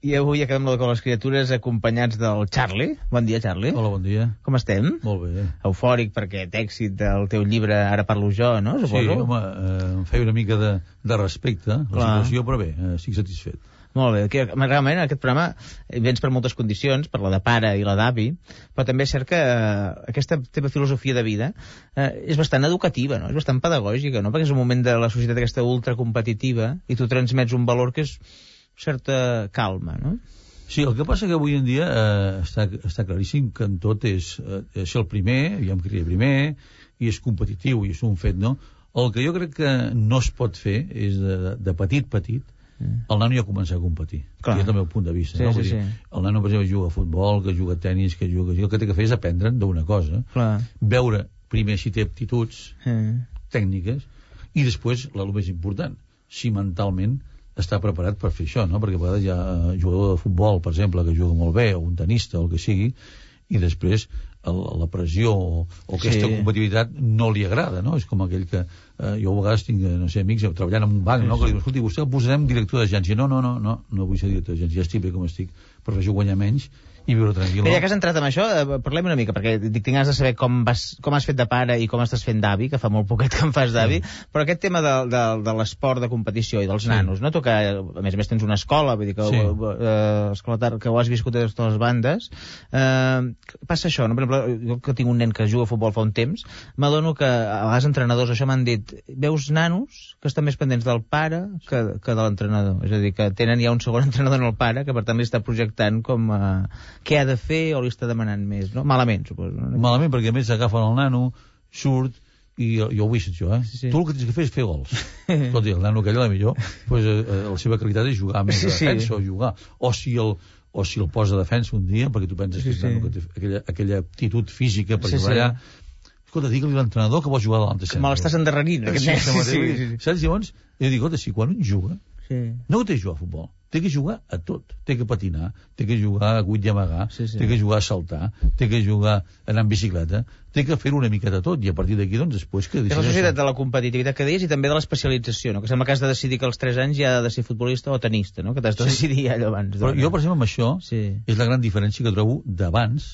I avui acabem la de les criatures acompanyats del Charlie. Bon dia, Charlie. Hola, bon dia. Com estem? Molt bé. Eufòric perquè d'èxit del teu llibre Ara parlo jo, no? Suposo? Sí, home, em feia una mica de respecte a la situació, però bé, estic satisfet. Molt bé. Realment, en aquest programa vens per moltes condicions, per la de pare i la d'avi, però també és cert que aquesta teva filosofia de vida és bastant educativa, no? És bastant pedagògica, no? Perquè és un moment de la societat aquesta ultracompetitiva i tu transmets un valor que és certa calma, no? Sí, el que passa que avui en dia està claríssim que en tot és ser el primer, jo em cria primer, i és competitiu, i és un fet, no? El que jo crec que no es pot fer és de petit, el nano ja començar a competir. Clar. I és el meu punt de vista. Sí, no? Sí. El nano, per exemple, juga a futbol, que juga a tenis, que juga... El que té que fer és aprendre'n d'una cosa. Clar. Veure primer si té aptituds tècniques i després, el més important, si mentalment està preparat per fer això, no? Perquè a vegades hi ha jugador de futbol, per exemple, que juga molt bé, o un tenista, o el que sigui, i després la pressió o aquesta competitivitat no li agrada, no? És com aquell que jo a vegades tinc, no sé, amics treballant en un banc, no? Que li diuen, escolti, vostè el posarem director d'agència. No vull ser director d'agència, ja estic bé com estic, prefereixo guanyar menys i viure tranquil. Ja que has entrat en això, parlem una mica, perquè tinc ganes de saber com has fet de pare i com estàs fent d'avi, que fa molt poquet que em fas d'avi, però aquest tema de l'esport de competició i dels nanos, no? Tu que, a més més, tens una escola, vull dir que, que ho has viscut de totes les bandes, passa això, no? Per exemple, jo que tinc un nen que juga a futbol fa un temps, m'adono que a vegades entrenadors, això m'han dit, veus nanos que estan més pendents del pare que de l'entrenador, és a dir, que tenen ja un segon entrenador en el pare, que per tant li està projectant com què ha de fer o li està demanant més, no? Malament, suposo. No? Malament, perquè a més agafen el nano, surt, i jo ho he vist, això, Sí. Tu el que tens que fer és fer gols. Tot i el nano aquell, millor, pues, la seva qualitat és jugar més de defensa o jugar. O si el posa de defensa un dia, perquè tu penses que el nano que té aquella aptitud física per jugar allà, escolta, digue-li a l'entrenador que vols jugar davant de sempre. Me l'estàs endarrerint, aquest nen. Saps? Llavors, jo dic, escolta, si quan un juga, no té que jugar a futbol, té que jugar a tot, té que patinar, té que jugar a guit i amagar, té que jugar a saltar, té que jugar a anar en bicicleta, té que fer una miqueta tot, i a partir d'aquí, doncs, després que... És la societat de la competitivitat que deies i també de l'especialització, no? Que sembla que has de decidir que als 3 anys ja ha de ser futbolista o tenista, no? Que t'has de decidir allò abans. Però jo, per exemple, amb això, és la gran diferència que trobo d'abans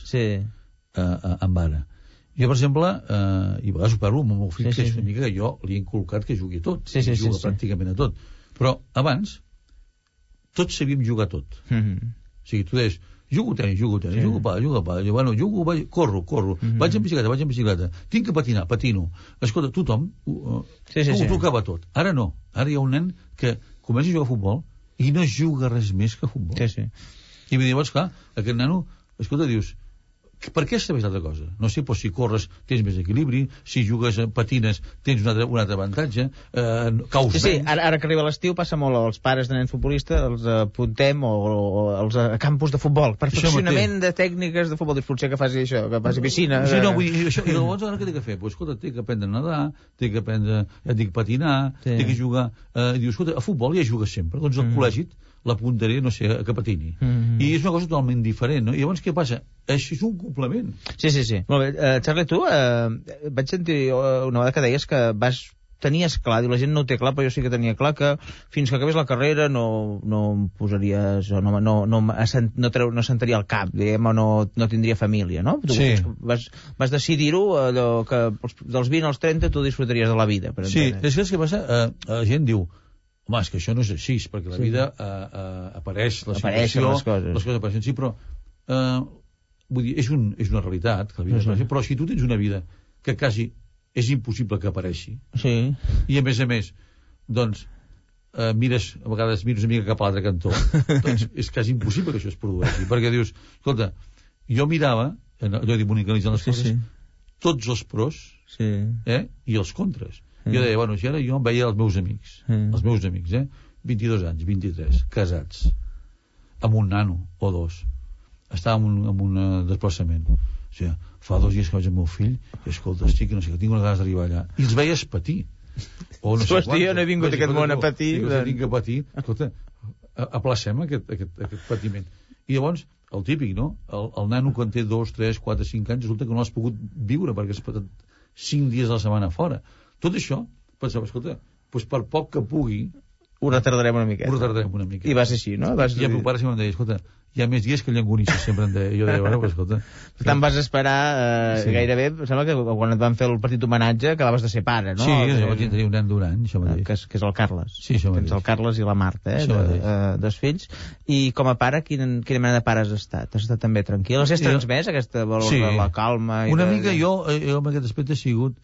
amb ara. Jo, per exemple, i a vegades ho parlo amb el meu fill, que és una mica que jo li he inculcat que jugui a tot, juga pràcticament a tot. Però abans tots sabíem jugar a tot. O sigui, tu deies, jugo a tenis, jugo a pal, corro, vaig en bicicleta, tinc que patinar, patino. Escolta, tothom ho tocava tot. Ara no, ara hi ha un nen que comença a jugar a futbol i no juga res més que a futbol. I llavors, clar, aquest nano, escolta, dius, per què sabés altra cosa? No sé, si corres tens més equilibri, si jugues patines tens un altre avantatge, caus menys. Ara que arriba l'estiu passa molt als pares de nens futbolistes, els apuntem o als campus de futbol, perfeccionament de tècniques de futbol, potser que faci això, que faci piscina. I llavors ara què té que fer? Escolta, té que aprendre a nedar, té que aprendre, ja et dic, patinar, té que jugar, dius, escolta, a futbol ja jugues sempre, doncs al col·legi l'apuntaré, no sé, que patini. I és una cosa totalment diferent, no? I llavors què passa? Això és un complement. Sí. Molt bé. Charlie, tu vaig sentir una vegada que deies que tenies clar, diu, la gent no ho té clar, però jo sí que tenia clar que fins que acabés la carrera no em posaries, no sentaria el cap, diguem, o no tindria família, no? Tu vas decidir-ho, allò que dels 20 als 30 tu disfrutaries de la vida. Sí, és que el que passa, la gent diu, home, és que això no és així, perquè la vida apareix, la situació, les coses apareixen, sí, però vull dir, és una realitat, que la vida apareix, però si tu tens una vida que quasi és impossible que apareixi, i a més, doncs, a vegades mires una mica cap a l'altre cantó, doncs és quasi impossible que això es produeixi, perquè dius, escolta, jo mirava, allò d'imonicanalitzant les coses, tots els pros i els contres. Jo deia, si ara jo em veia els meus amics, 22 anys, 23, casats, amb un nano o dos, estàvem en un desplaçament. O sigui, fa 2 dies que vaig amb el meu fill i, escolta, estic, no sé, que tinc unes ganes d'arribar allà. I els veies patir. O no sé quant. Jo no he vingut a aquest món a patir. Tinc que patir. Escolta, aplacem aquest patiment. I llavors, el típic, no? El nano quan té 2, 3, 4, 5 anys resulta que no l'has pogut viure perquè has passat 5 dies a la setmana fora. Tot això, pensava, escolta, per poc que pugui, Ho retardarem una miqueta. I va ser així, no? I el meu pare sempre em deia, escolta, hi ha més dies que llangonisses, sempre em deia. Jo deia, bueno, però escolta... Per tant, vas esperar gairebé, sembla que quan et van fer el petit homenatge acabaves de ser pare, no? Sí, jo vaig tenir un nen d'un any, això mateix. Que és el Carles. Sí, això mateix. Tens el Carles i la Marta, dos fills. I com a pare, quina mena de pare has estat? Has estat també tranquil? Has transmès aquesta valor de la calma? Una mica jo en aquest aspecte he sigut,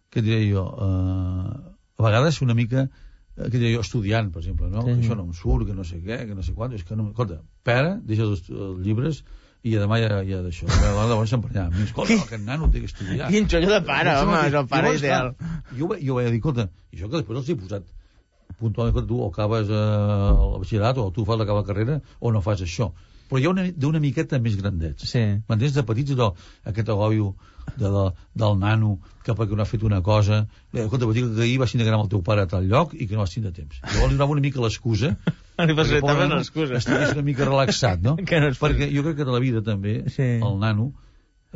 què diré jo, a vegades una mica... que jo estudiant, per exemple, no? Que això no em surt, que no sé què, que no sé quant, és que no... Escolta, pare, deixa els llibres i demà ja d'això. Llavors s'emprenyava. Escolta, aquest nano té que estudiar. Quin xollo de pare, home, és el pare ideal. Jo vaig dir, escolta, i això que després els he posat puntualment, que tu o acabes el batxillerat o tu fas acabar la carrera o no fas això. Però hi ha d'una miqueta més grandets. Sí. M'entens? De petits, aquest agòbio del nano que perquè no ha fet una cosa, escolta, vaig dir que ahir vas tindre que anar amb el teu pare a tal lloc i que no vas tindre temps. Llavors li donava una mica l'excusa estigués una mica relaxat, no? Perquè jo crec que de la vida també el nano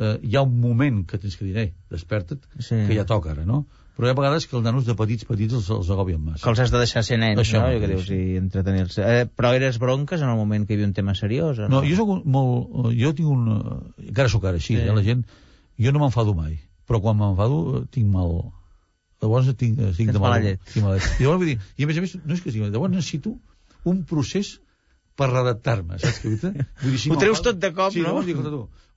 hi ha un moment que tens que dir, desperta't, que ja toca ara, no? Però hi ha vegades que els nanos de petits els agobien massa. Que els has de deixar ser nens, això, no? Que dius, i entretenir-se. Però eres bronques en el moment que hi havia un tema seriós? No, jo soc molt... Jo tinc un... Encara sóc ara així, la gent... Jo no m'enfado mai, però quan m'enfado tinc mal... Llavors tinc de mal llet. I llavors vull dir... I a més, no és que sigui... Llavors necessito un procés per redactar-me, saps què vull dir? Ho treus tot de cop, no? Sí, llavors dic,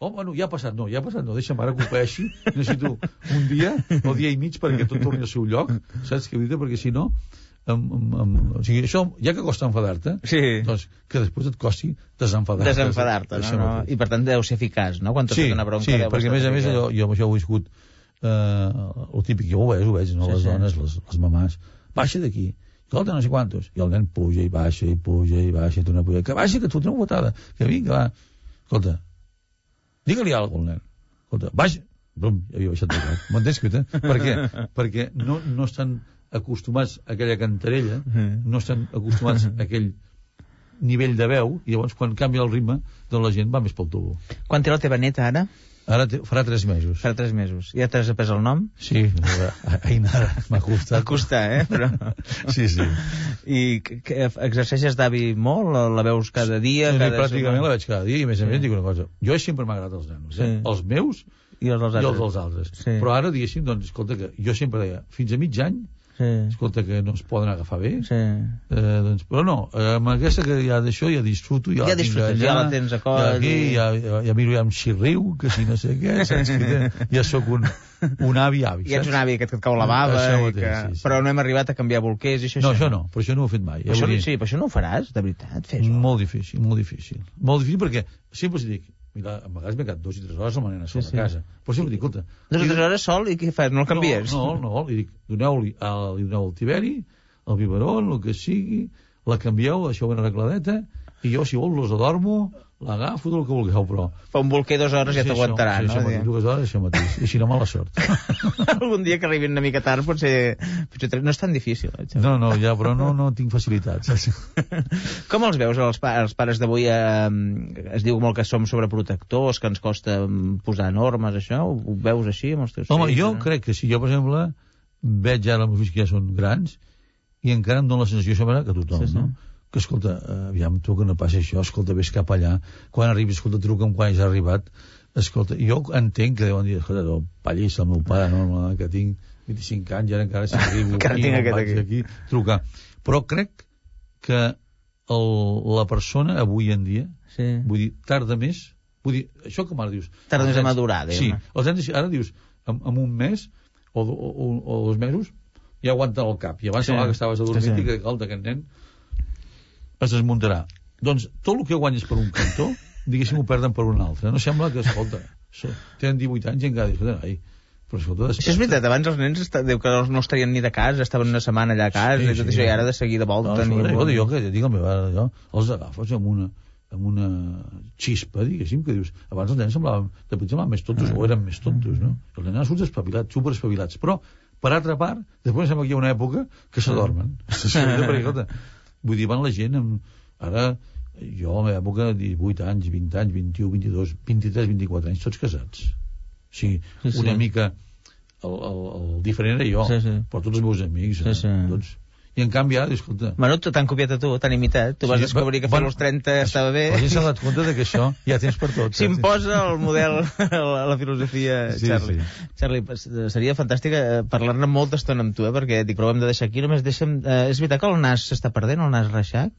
bueno, ja ha passat, no, deixa'm ara que ho paeixi, necessito un dia o dia i mig perquè tot torni al seu lloc, saps què vull dir? Perquè si no, o sigui, això, ja que costa enfadar-te, doncs que després et costi desenfadar-te, no? I per tant deu ser eficaç, no? Quan t'has fet una bronca... Sí, perquè a més jo amb això ho he viscut el típic, jo ho veig, no? Les dones, les mamàs, baixa d'aquí, escolta, no sé quantos, i el nen puja i baixa, i tu no puja, que baixa, que et fotré una botada, que vinga, va, escolta, digue-li alguna cosa al nen. Escolta, baixa. Brum, ja havia baixat de cap. M'entens, Cuita? Per què? Perquè no estan acostumats a aquella cantarella, no estan acostumats a aquell nivell de veu, i llavors quan canvia el ritme, doncs la gent va més pel tubo. Quan té la teva neta, ara? Ara farà 3 mesos. Farà 3 mesos. Ja t'has après el nom? Sí, Ainara, m'ha costat. M'ha costat, Però... Sí. I exerceixes d'avi molt? La veus cada dia? Pràcticament la veig cada dia, i a més dic una cosa. Jo sempre m'ha agradat els nanos, els meus i els dels altres. Però ara, diguéssim, doncs, escolta, que jo sempre deia, fins a mig any, escolta, que no es poden agafar bé, doncs, però no, amb aquesta que ja d'això ja disfruto, ja la tens a coll, ja miro ja amb xirriu, que si no sé què, saps que ja sóc un avi. I ets un avi que et cau la bava, però no hem arribat a canviar bolquers i això. No, això no, però això no ho he fet mai. Sí, però això no ho faràs, de veritat, fes-ho. Molt difícil. Molt difícil perquè sempre us dic, mira, a vegades m'he quedat 2 i 3 hores amb la nena sola a casa. Però sempre dic, escolta... 2 o 3 hores sol i què fas? No el canvies? No, li dic, li doneu el tiberi, el biberon, el que sigui, la canvieu, deixeu una arregladeta, i jo, si vol, los adormo, l'agafo, el que vulgueu, però... Fa un bolquer 2 hores ja t'aguantarà, no? Sí, 2 hores, això mateix. I si no, mala sort. Algun dia que arribin una mica tard potser no és tan difícil. No, ja, però no tinc facilitats. Com els veus, els pares d'avui? Es diu molt que som sobreprotectors, que ens costa posar normes, això? Ho veus així amb els teus fills? Home, jo crec que sí. Jo, per exemple, veig ara els meus fills que ja són grans i encara em dóna la sensació que tothom, no? Que, escolta, aviam, tu que no passa això, escolta, vés cap allà, quan arribis, escolta, truca'm quan has arribat, escolta, jo entenc que deuen dir, escolta, no, pallís, el meu pare, no, que tinc 25 anys, ara encara si arribo aquí, trucar. Però crec que la persona, avui en dia, vull dir, tarda més, vull dir, això com ara dius... Tarda més a madurar, sí, ara dius, en un mes o 2 mesos, ja aguanten el cap, i abans semblava que estaves adormit i que, escolta, aquest nen es desmuntarà. Doncs tot el que guanyes per un cantó, diguéssim, ho perden per un altre. No sembla que, escolta, tenen 18 anys i encara diuen, però escolta... Això és veritat, abans els nens diu que no estarien ni de casa, estaven una setmana allà a casa i tot això, i ara de seguida volten... Jo que dic el meu pare, els agafes amb una xispa, diguéssim, que dius, abans els nens semblaven més tontos, o eren més tontos, no? Els nens surts espavilats, superespavilats, però, per altra part, després sembla que hi ha una època que s'adormen. Perquè, escolta, vull dir, van la gent ara, jo a la meva època 18 anys, 20 anys, 21, 22 23, 24 anys, tots casats. O sigui, una mica el diferent era jo, però tots els meus amics tots, I en canvi ara, escolta... Bueno, t'han copiat a tu, t'han imitat. Tu vas descobrir que fer als 30 estava bé. La gent s'ha donat compte que això hi ha temps per tot. S'imposa el model, la filosofia, Charlie. Charlie, seria fantàstic parlar-ne molta estona amb tu, perquè dic, però ho hem de deixar aquí. Només deixa'm... És veritat que el nas s'està perdent, el nas reixac?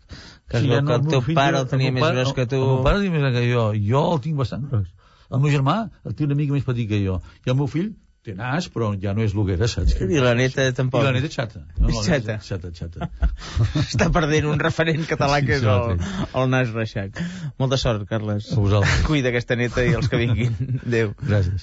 Que el teu pare el tenia més gros que tu... El meu pare el tenia més gros que jo el tinc bastant gros. El meu germà el té una mica més petit que jo. I el meu fill té nas, però ja no és el que era, saps? I la neta tampoc. I la neta xata. Xata. Està perdent un referent català que és el nas reixac. Molta sort, Carles. A vosaltres. Cuida aquesta neta i els que vinguin. Adéu. Gràcies.